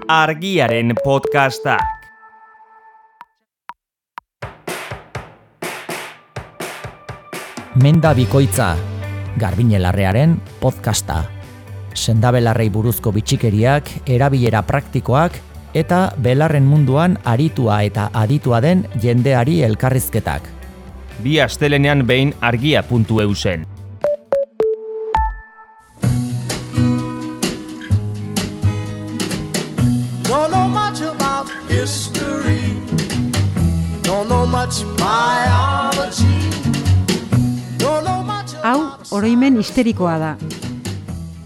Argiaren podcastak. Menda bikoitza, Garbine Larrearen podcasta. Sendabelarrei buruzko bitxikeriak, erabilera praktikoak eta belarren munduan aritua eta aditua den jendeari elkarrizketak. Bi astelenean behin argia.eu zen. Don't know much about history. Don't know much biology. Don't know much Hau, oroimen histerikoa da.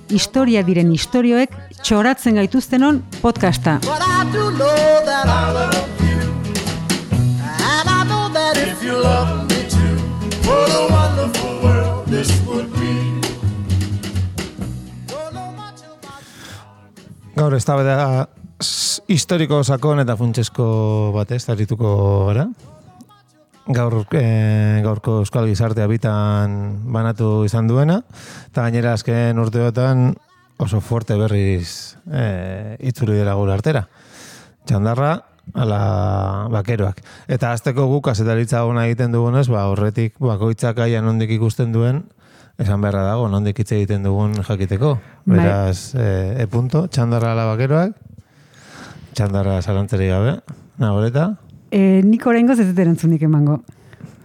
Historia diren istorioek txoratzen gaituztenon podcasta. But I do know that I love you. And I know that if you love me too, what a wonderful world this would be. Don't know much about... Gaur eztabaida historiko sakon eta funtsesko batez arituko gara. Gaurko euskal gizartea bitan banatu izan duena, eta gainera azken urteotan oso fuerte berriz itzuli dela gure artera. Txandarra, ala bakeroak. Eta azteko guk azetaritza ona egiten dugunez, horretik bakoitzak aia nondik ikusten duen, esan beharra dago, nondik hitz egiten dugun jakiteko. Beraz, punto, txandarra ala bakeroak, txandarra zalantzeri gabe, nagoreta. Nik oraingoz ez dut erantzunik emango.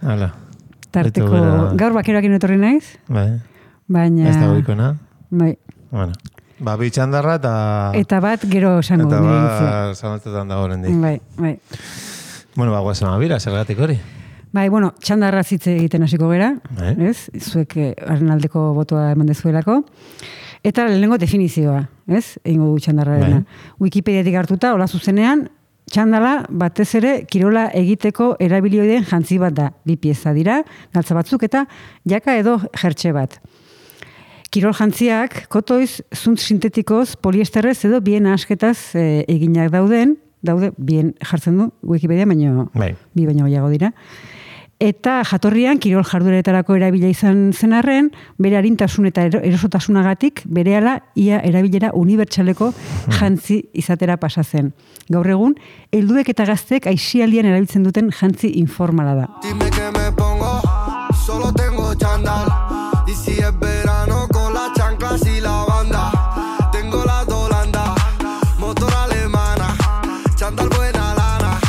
Hala. Tarteko, gaur bakeroakin etorri naiz, Bai. Baina... Ez da goikona. Bai. Bueno. Bi txandarra Eta bat gero esango. Eta bat zalantzetan dago rendik. Bai. Bueno, guazen amabira, zergatik hori. Bai, bueno, txandarra zitze egiten hasiko gera, Bai. ez? Zuek haren aldeko botoa eman dezuelako. Eta lehenengo definizioa, ez? Egingo du txandarrarena. Wikipediatik hartuta, hola zuzenean, txandala batez ere kirola egiteko erabilioiden jantzi bat da. Bi pieza dira, galtza batzuk eta jaka edo jertxe bat. Kirol jantziak kotoiz, zuntz sintetikoz, poliesterrez edo bien asketaz eginak daude bien jartzen du Wikipedia, baino bi baino gehiago dira. Eta jatorrian kirol jardueretarako erabila izan zen arren, bere arintasun eta erosotasunagatik berehala ia erabilera unibertsaleko jantzi izatera pasa zen. Gaur egun, helduek eta gazteek aisialdian erabiltzen duten jantzi informala da. Dime que me pongo, solo tengo chándal. Y si es verano con las chanclas y la banda. Tengo la Holanda, motor alemana, chándal buena lana.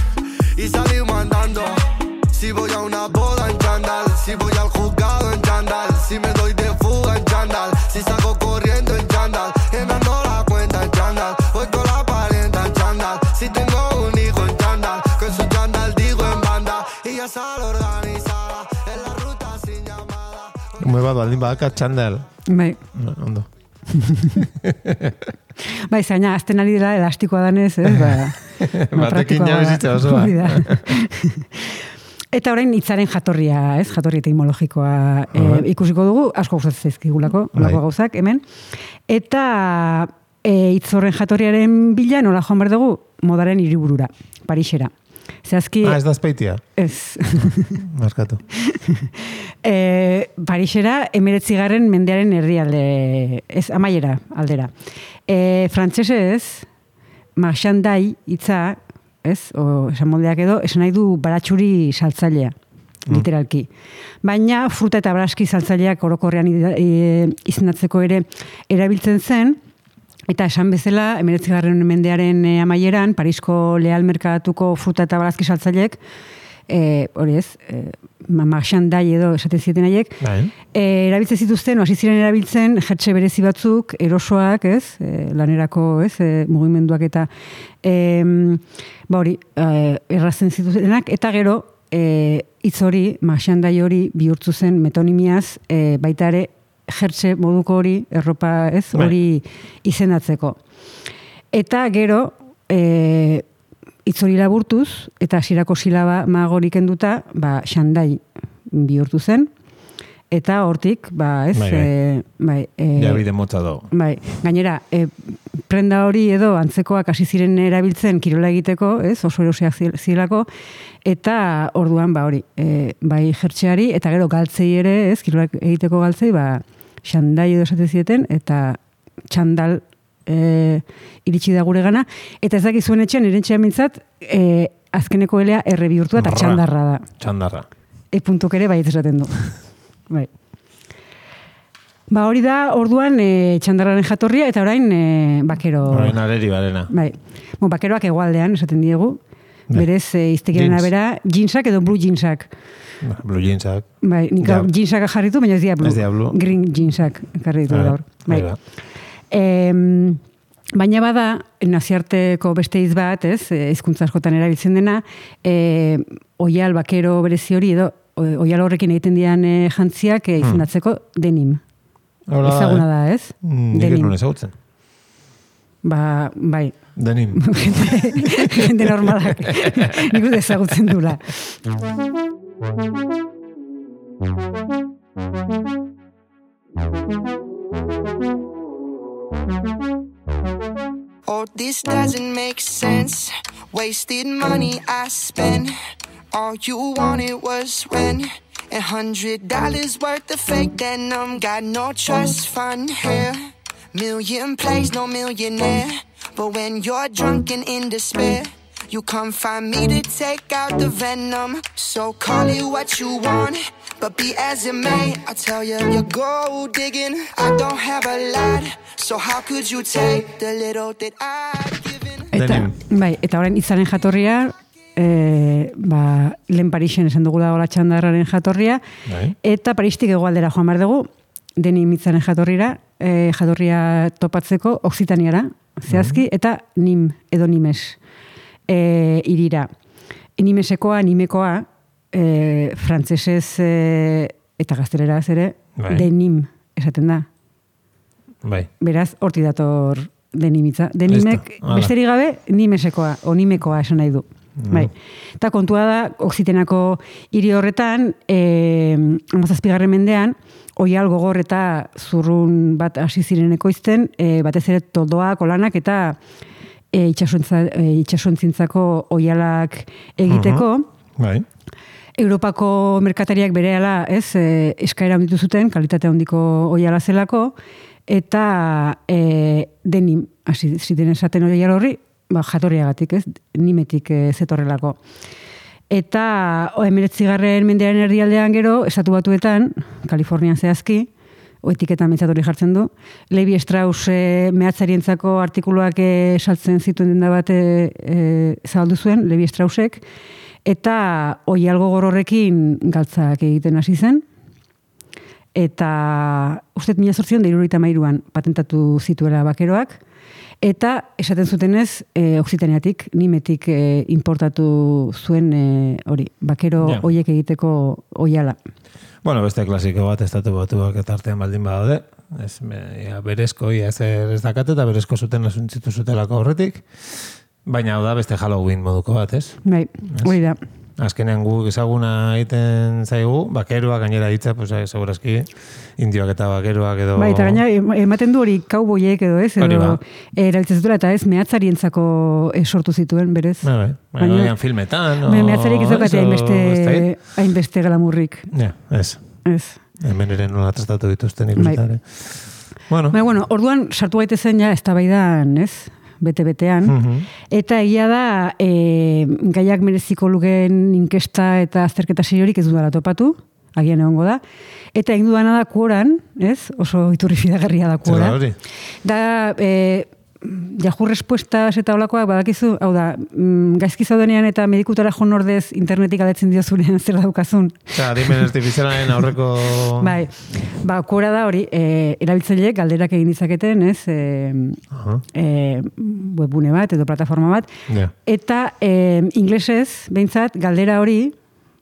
Y salimos andando. Si voy a una boda en chándal, si voy al juzgado en chándal, si me doy de fuga en chándal, si salgo corriendo en chándal, llenando la cuenta en chándal, voy con la parienta en chándal, si tengo un hijo en chándal, con su chándal digo en banda, y ya sale organizada, en la ruta sin llamada. Mueva baldin badaka txandal. Bai. Ondo. Bai, zaina, azten ari dela elastikoa danez, ez? Batekin jabezitza osoa. Eta orain hitzaren jatorria, ez? Jatorri etimologikoa ikusiko dugu, asko gustatzen zaizkigulako, holako gauzak hemen. Eta hitz horren jatorriaren bila nola joan behar dugu modaren hiriburura, Parisera. Zehazki... Ez da Azpeitia? Ez. Markatu. Parisera 19. mendearen erdialde, ez, amaiera aldera. Frantsesez, marchandai hitza, ez, esan moldeak edo, esan nahi du baratxuri saltzailea, literalki. Baina fruta eta baraski saltzaileak orokorrean izendatzeko ere erabiltzen zen, eta esan bezala, 19. mendearen amaieran, Parisko Leal merkatuko fruta eta baraski saltzaileek, hori ez, marchandai edo esaten zieten haiek, erabiltzen zituzten, hasi ziren erabiltzen jertxe berezi batzuk, erosoak, ez, lanerako, ez, mugimenduak eta hori, errazen zituzenak, eta gero, hitz hori, marchandai hori bihurtzu zen metonimiaz, baita ere, jertxe moduko hori, erropa, ez, hori izendatzeko. Eta gero, hitz hori laburtuz, eta hasierako silaba magorik enduta, xandai bihurtu zen, eta hortik, ez... Jabide motza dago. Gainera, prenda hori edo antzekoak hasi ziren erabiltzen kirola egiteko, ez, oso erosiak zilako, eta orduan, hori, bai jertxeari, eta gero galtzei ere, ez, kirola egiteko galtzei, xandai edo esaten zieten, eta txandal iritsi da gure gana, eta ez dakizuen etxean, erentxean mintzat, azkeneko elea erre bihurtua eta txandarra da. Txandarra. Puntuk ere baiet esaten du. Bai. Ba, hori da, orduan txandarraren jatorria, eta orain bakero... Orain areri barena. Bai. Bakeroak hegoaldean, esaten diegu. Berez, iztekiaren abera, jeansak edo blue jeansak. Blue jeansak. Bai, nik jeansak jarritu, baina ez dia blue. Ez dia blue. Green jeansak jarritu gaur. Bai. Baina bada, naziarteko beste hitz bat, ez, hizkuntza askotan erabiltzen dena, oial bakero berezi hori, edo oial horrekin egiten dian jantziak izendatzeko denim. Ezaguna da, ez? Nik ez nuen ezagutzen. Ba, bai. Denim. Jende normalak. Nik dut ezagutzen dula. Oh, this doesn't make sense. Wasted money I spent. All you wanted was rent. $100 worth of fake denim. Got no trust fund here. Million plays, no millionaire. But when you're drunk and in despair, you come find me to take out the venom. So call it what you want, but be as it may. I tell you, you're gold digging. I don't have a lot, so how could you take the little that I've given? Eta orain itzaren jatorria, lehen Parisen esan dugu dagoela txandarraren jatorria, eta Paristik hegoaldera joan behar dugu, denim itzaren jatorria topatzeko Oksitaniara, zehazki, eta nim, edo nimes, irira. Nimesekoa, nimekoa, frantzesez eta gazteleraz ere, denim, esaten da. Bai. Beraz, horti dator denimitza. Denimek, besterik gabe, nimesekoa, o nimekoa esan nahi du. Bai. Eta kontua da, Oksitenako hiri horretan, 17. mendean, oial gogor eta zurrun bat hasi ziren ekoizten, batez ere toldoak, olanak eta itxasontzintzako oialak egiteko. Bai. Europako merkatariak berehala, ez, eskaera handitu zuten, kalitate handiko oiala zelako, eta denim, hasi ziren esaten oial horri, jatorriagatik, ez, nimetik zetorrelako. Eta 19. mendearen herrialdean gero, estatu batuetan, Kalifornian zehazki, etiketan mentzat hori jartzen du, Levi Strauss mehatzarientzako artikuluak saltzen zituen denda bat zabaldu zuen, Levi Straussek, eta oial gogor horrekin galtzak egiten hasi zen, eta uste 1873an patentatu zituela bakeroak, eta esaten zutenez, Oksitaniatik, nimetik importatu zuen hori, bakero oiek egiteko oiala. Bueno, beste klasiko bat estatu batuak eta artean baldin badaude. Berezko ez dakate eta berezko zuten asuntzitu zutelako horretik. Baina hau da beste Halloween moduko bat, ez? Bai, hori da. Azkenean guk ezaguna egiten zaigu, bakeroak gainera hitza, pues segurazki indioak eta bakeroak edo... Bai, eta gainera ematen du hori kauboiek edo, ez? Edo erabiltzen zutela eta ez mehatzarientzako sortu zituen, berez. Baina filmetan... Mehatzariek ez daukate hainbeste galamurrik. Ja, ez. Ez. Hemen ere nola tratatu dituzten ikusitare. Bueno, orduan sartu gaitezen ja eztabaidan, ez? Bete-betean, eta egia da gaiak mereziko lukeen inkesta eta azterketa seriorik ez dudala topatu, agian egongo da, eta egin dudana da Quoran, ez? Oso iturri fidagarria da Quora. Da, Yahoo respuestas eta olakoak badakizu, hau da, gaizki zaudenean eta medikutara joan ordez internetik aletzen diozunean zer daukazun. Adimen artifizialaren aurreko... Bai, Quora da hori, erabiltzaileek galderak egin ditzaketen, ez? Webgune bat edo plataforma bat. Eta inglesez, behintzat, galdera hori,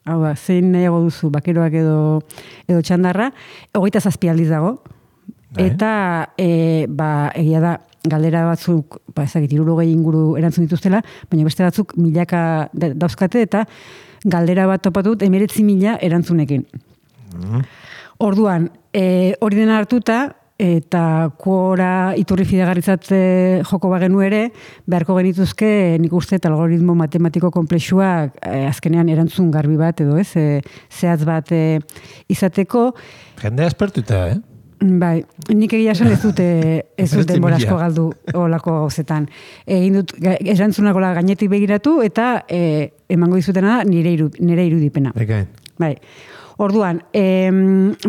hau da, zein nahiago duzu, bakeroak edo txandarra, 27 aldiz dago. Eta, egia da, galdera batzuk, ezagit, 60 inguru erantzun dituztela, baina beste batzuk milaka dauzkate eta galdera bat topatut 19.000 erantzunekin. Orduan, hori dena hartuta, eta Quora iturri fidagarritzat joko bagenu ere, beharko genituzke nik uste algoritmo matematiko komplexuak azkenean erantzun garbi bat edo ez, zehaz bat izateko. Jendea espertuta, Bai, nik egia esan ez dut denbora asko galdu olako gauzetan. Egin dut, erantzunako gainetik begiratu eta emango dizutena da nire irudipena. Bai. Orduan,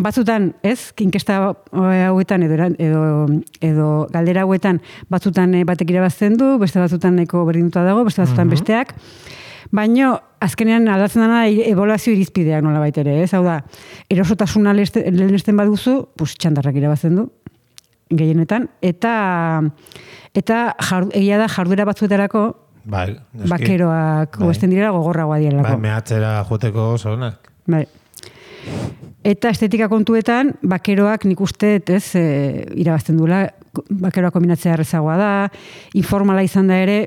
batzutan, inkesta hauetan edo galdera hauetan batzutan batek irabazten du, beste batzutan nahiko berdinduta dago, beste batzutan besteak. Baina, azkenean aldatzen dena ebaluazio irizpideak nola baitere, Hau da, erosotasuna lehenesten baduzu, txandarrak irabazten du, gehienetan, eta egia da jarduera batzuetarako, bakeroak oesten direla gogorragoa direlako. Bai, mehatzera joteko oso onak. Bai. Eta estetika kontuetan, bakeroak nik uste, irabazten duela, bakeroak kombinatzea errezagoa da, informala izan da ere,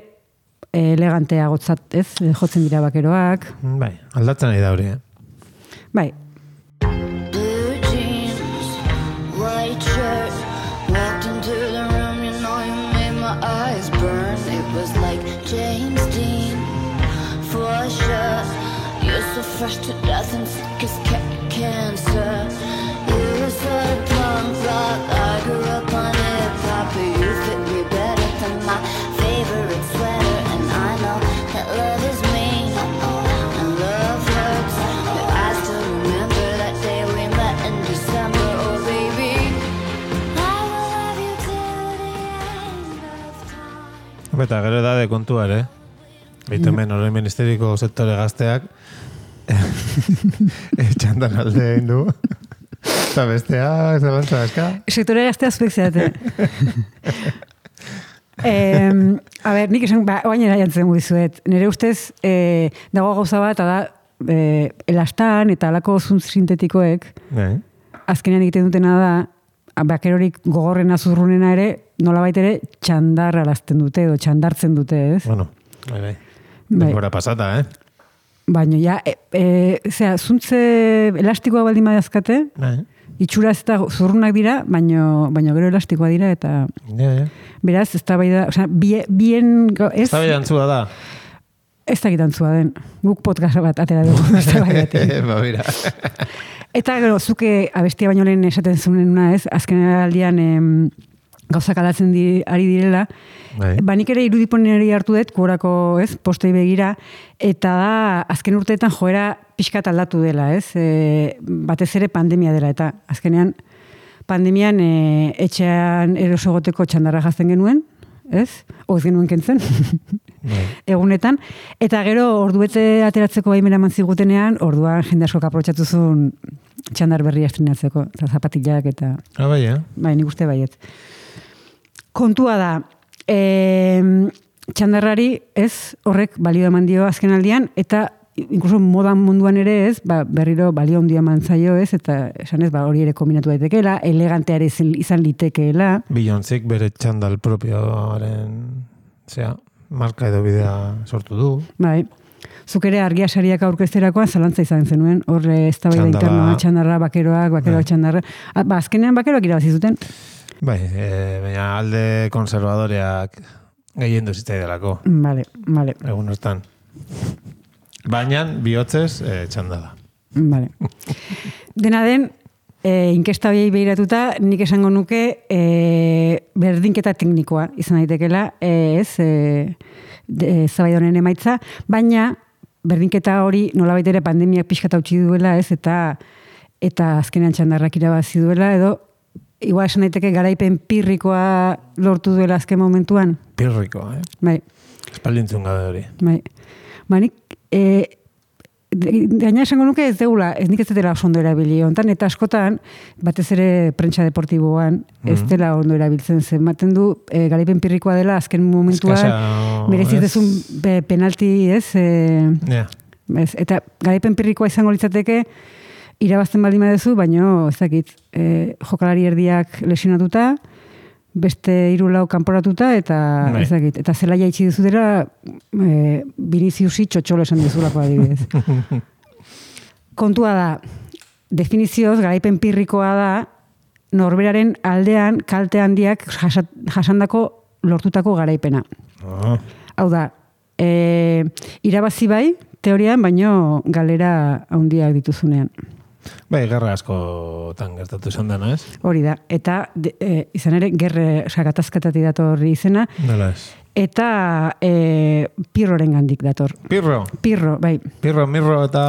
elegantea gotzat, jotzen dira bakeroak. Bai, aldatzen nahi da hori, Bai. Blue jeans, white shirt, walked into the room, you know you made my eyes burn. It was like James Dean, for sure. You're so fresh to death and sick as cancer. You're so punk rock, I grew up on hip-hop, but you fit me better than my favorite sweater. I know that love is mean and love hurts, but I still remember that day we met in December. Oh baby, I will love you till the end of time. Eta gero edade kontua ere. Beitu hemen horrein ministeriko sektore gazteak txandan alde egin du. Eta bestea, zelantza eska. Sektore gaztea azpekzeate. A ber, nik esan, oainera jantzen guizuet. Nire ustez, dago gauza bat, da, elastan eta alako zuntz sintetikoek, azkenean egiten dutena da, bakerorik gogorrena zurrunena ere, nolabait ere, txandar arazten dute, edo txandartzen dute, Bueno, bai. Denbora pasata, Baina, ja, zuntze elastikoa baldin badazkate, itxura ez da zurrunak dira, baina gero elastikoa dira, eta beraz, ez da bai da, bien... Ez da bai dantzua da? Ez da gitantzua den. Guk podcast bat atera dugu, ez da bai batean. Ba, mira. Eta gero, zuke abestia baino lehen esaten zunena, azken aldian gauzak aldatzen ari direla, nik ere irudiponeri hartu dut, gorako, postei begira, eta da, azken urteetan joera pixkat aldatu dela, batez ere pandemia dela, eta azkenean pandemian etxean erosogoteko txandarra jazten genuen, Oz genuen kentzen, egunetan, eta gero orduete ateratzeko baimena mantzigutenean, orduan jende asko aprobetxatu zuen txandar berria estrenatzeko, eta zapatilak eta... Bai, Bai, nik uste baiet. Kontua da, txandarrari horrek balio eman dio azken aldian, eta inkluso modan munduan ere berriro balio handia eman zaio eta esan hori ere kombinatu daitekeela, eleganteare izan litekeela. Beyoncék bere txandal propioaren, marka edo bidea sortu du. Bai. Zuk ere argia sariak aurkezterakoan zalantza izan zenuen, horre eztabaida internoa, txandarra, bakeroak txandarra. Azkenean bakeroak irabazi zuten. Bai, baina alde konservadoreak gehien duzitza delako. Vale. Egun hortan. Baina bihotzez txandala. Vale. Dena den, inkesta horiei behiratuta, nik esango nuke berdinketa teknikoa izan daitekela, zabaida honen emaitza, baina berdinketa hori nolabait ere pandemiak pixkat hautsi duela, eta azkenean txandarrak irabazi duela, edo igual esan daiteke garaipen pirrikoa lortu duela azken momentuan. Pirrikoa, Bai. Espaldintzun gabe hori. Bai. Nik gaina esango nuke ez deula, nik ez dela oso ondo erabili hontan, eta askotan, batez ere prentsa deportiboan, ez dela ondo erabiltzen zen. Maten du, garaipen pirrikoa dela, azken momentuan, merezitezun penalti, eta garaipen pirrikoa izango litzateke, irabazten baldin badezu, baino, ez dakit, jokalari erdiak lesionatuta, beste 3 lau kanporatuta, eta ez dakit, eta zelaia itxi duzutera, Viniciusi txotxolo esan dizulako adibidez. Kontua da, definizioz, garaipen pirrikoa da, norberaren aldean kalte handiak jasandako lortutako garaipena. Hau da, irabazi bai, teorian, baino galera handiak dituzunean. Bai, gerra askotan gertatu izan dena, ez? Hori da. Eta izan ere, gatazkatatik dator izena. Nola ez? Eta Pirroren gandik dator. Pirro, bai. Pirro, mirro eta...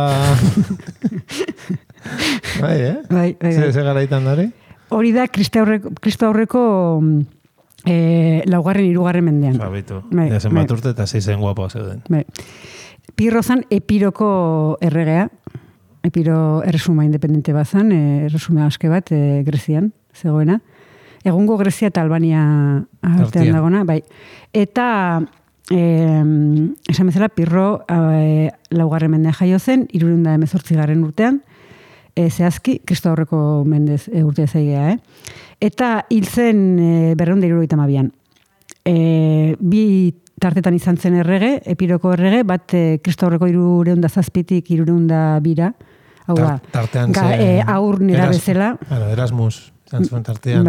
bai, eh? Bai. Ze garaitan dari? Hori da, Kristo aurreko laugarren, hirugarren mendean. Sabitu. Bai, Zen bat urte eta zeizen guapo zeuden. Bai. Pirro zan Epiroko erregea. Epiro erresuma independente bazan, erresuma aske bat Grezian zegoena. Egungo Grezia eta Albania artean dagona, bai. Eta esan bezala Pirro laugarren mendea jaio zen, 318 urtean, zehazki, Kristo aurreko mendez urtea zaigea, Eta hil zen 272an. Bi tartetan izan zen errege, Epiroko errege, bat Kristo aurreko 307tik 302ra, hau da, aur nera bezala. Erasmus, zantzuen tartean.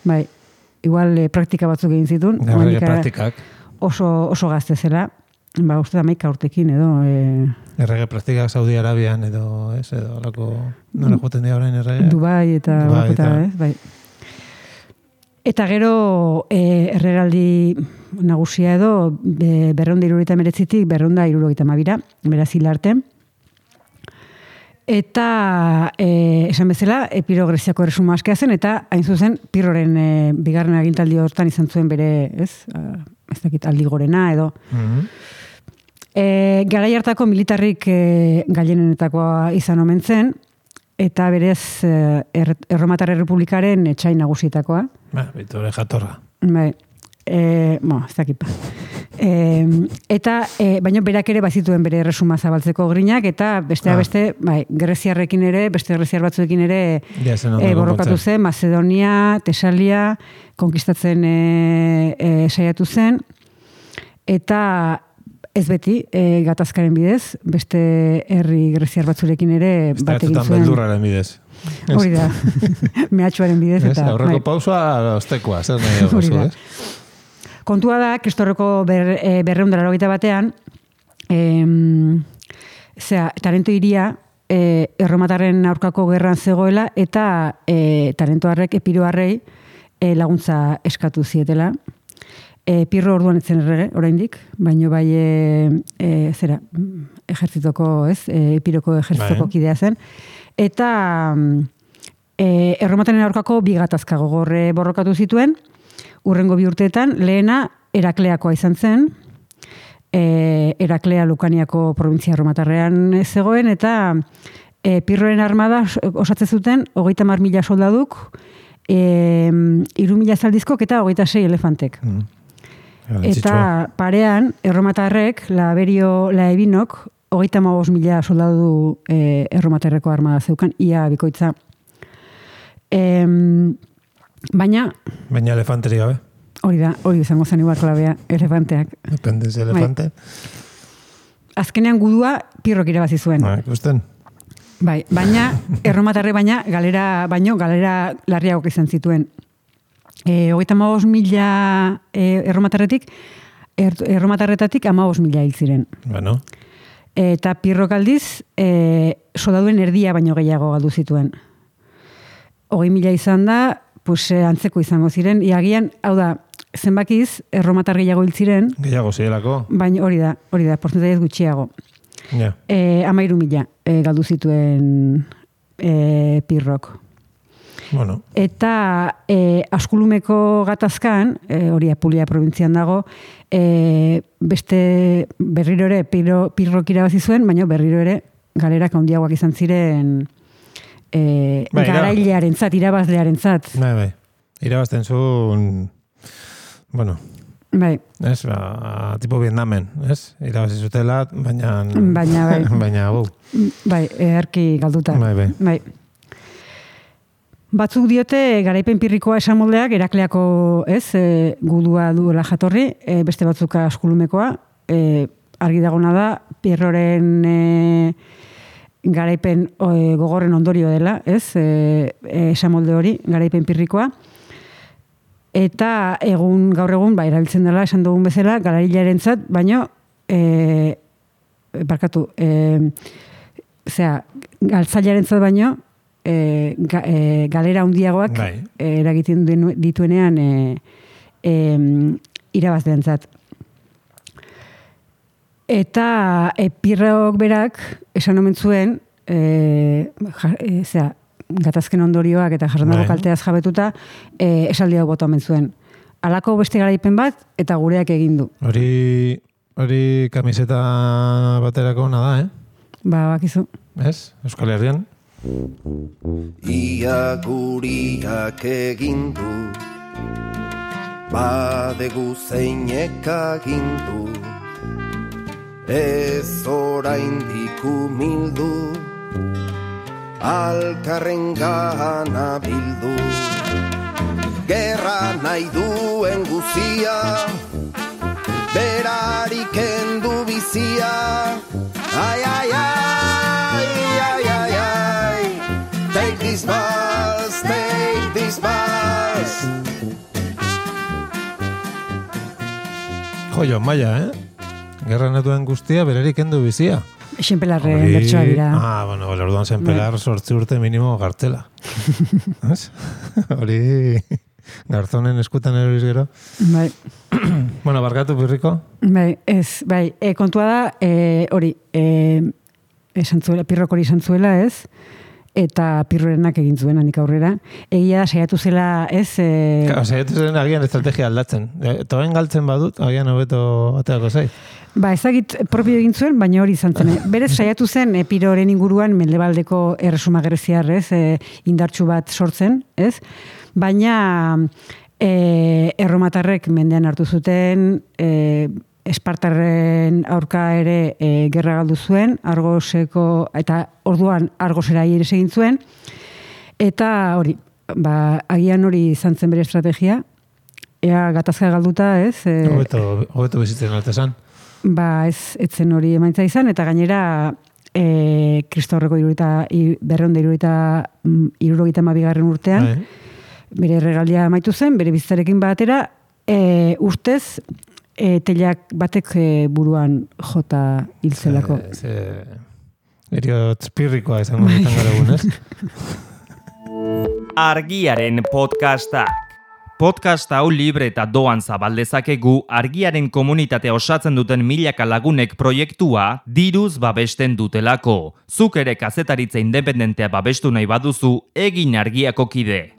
Bai, igual praktika batzuk egin zituen. Errege praktikak. Oso gazte zela, uste da 11 urtekin edo. Errege praktikak Saudi Arabian edo, ez, edo, alako, nola joten dira orain errege? Dubai eta, ez, bai. Eta gero erregaldi nagusia edo 279tik 272ra, beraz hil arte. Eta esan bezala, Epiro Greziako erresuma askea zen, eta hain zuzen Pirroren bigarren agintaldi hortan izan zuen bere, ez dakit aldi gorena edo. Garai hartako militarrik gailenenetakoa izan omen zen, eta berez Erromatar Errepublikaren etxai nagusietakoa. Bitore jatorra. Bai, ez dakit pa. Eta baino berak ere bazituen bere erresuma zabaltzeko grinak, eta beste, bai, greziarrekin ere, beste greziar batzuekin ere borrokatu zen, Macedonia, Tesalia, konkistatzen saiatu zen, eta ez beti, gatazkaren bidez, beste herri greziar batzurekin ere bat egin zuen. Beldurraren bidez. Hori da, mehatxuaren bidez. Aurreko pausua, ostekoa, zer nahi dugu, ez? Kontua da, Kristorreko 281, Tarento iria erromatarren aurkako gerran zegoela, eta tarentoarrek, Epiroarrei laguntza eskatu zietela. Pirro orduan etzen errege, oraindik, baino bai ejertzitoko, Epiroko ejertzitoko kidea zen. Eta erromataren aurkako bi gatazka gogorre borrokatu zituen, urrengo 2 urteetan, lehena Herakleakoa izan zen, Heraklea Lukaniako provintzia erromatarrean zegoen, eta Pirroren armada osatzen zuten 30.000 soldaduk, 3.000 zaldizkok eta 26 elefantek. Eta parean, erromatarrek, Laebinok, 35.000 soldadu erromatarreko armada zeukan, ia bikoitza. Baina elefanteri gabe. Hori izango zen igual klabea, elefanteak. Depende de elefante. Azkenean gudua Pirrok irabazi zuen. Ikusten. Bai, baina erromatarre galera larriagok izan zituen. 35.000 erromatarretatik 15.000 hil ziren. Bueno. Eta Pirrok aldiz soldaduen erdia baino gehiago galdu zituen. 20.000 izan da, antzeko izango ziren, iagian, hau da, zenbakiz, erromatar gehiago hil ziren. Gehiago zirelako. Baina hori da, portzentaiez gutxiago. 13.000 galdu zituen Pirrok. Bueno. Eta Askulumeko gatazkan, hori Apulia provintzian dago, beste berriro ere Pirrok irabazi zuen, baina berriro ere galerak handiagoak izan ziren garailearen zat, irabazlearen zat. Bai. Irabazten zuen, bueno, bai. Ez, tipo Vietnamen, ez? Irabazi zutela, baina bai. Bai, erki galduta. Bai. Batzuk diote garaipen pirrikoa esamoldeak Herakleako, gudua duela jatorri, beste batzuk Askulumekoa, argi dagona da, Pirroren garaipen gogorren ondorio dela, esamolde hori, garaipen pirrikoa. Eta gaur egun, erabiltzen dela, esan dugun bezala, galarilaren zat, baino, galtzailaren zat baino, galera handiagoak Bai. eragiten dituenean irabazleentzat. Eta Pirrok berak esan omen zuen, gatazken ondorioak eta jarrandako Bai. kalteaz jabetuta, esaldi hau bota omen zuen. Halako beste garaipen bat eta gureak egin du. Hori kamiseta baterako ona da, Bakizu. Ez? Euskal Herrian. Ia guriak egin du, badegu zeinek agindu, ez oraindik umildu, alkarren gana bildu. Gerra nahi duen guzia, berari kendu bizia. Ai, ai, ai, ai, ai, ai. Take this bus, take this bus. Joio, maia, Gerra nahi duen guztia, berarik kendu bizia. Xenpelarren bertsoa dira. Bueno, orduan zenpelar 8 urte minimo gartzela. Ez? Hori garzonen eskutan eroriz gero. Bai. Bueno, barkatu Pirriko. Bai, kontua da, hori, esan zuela, Pirrok hori esan zuela, ez? Eta Pirrorenak egin zuen hanik aurrera. Egia da, saiatu zela, ez? Saiatu zen agian estrategia aldatzen. Toen galtzen badut, agian hobeto ateako zait. Ezagit propio egin zuen, baina hori izan zen. Berez saiatu zen Piroren inguruan mendebaldeko erresuma greziar, ez? Indartsu bat sortzen, ez? Baina erromatarrek mendean hartu zuten, Espartarren aurka ere gerra galdu zuen, Argoseko, eta orduan Argosera ere egin zuen, eta hori, agian hori izan zen bere estrategia, ea gatazka galduta, ez? Hobeto bizitzen altesan. Ez zen hori emaitza izan, eta gainera Kristaurreko 272. Urtean, bere regaldia amaitu zen, bere bizitzarekin batera, urtez, telak batek buruan jota hilzelako. Eriotz Pirrikoa izango ditan gara egun, ez? Argiaren podcastak. Podcast hau libre eta doan zabaldezakegu Argiaren komunitatea osatzen duten milaka lagunek proiektua diruz babesten dutelako. Zuk ere kazetaritza independentea babestu nahi baduzu, egin Argiako kide.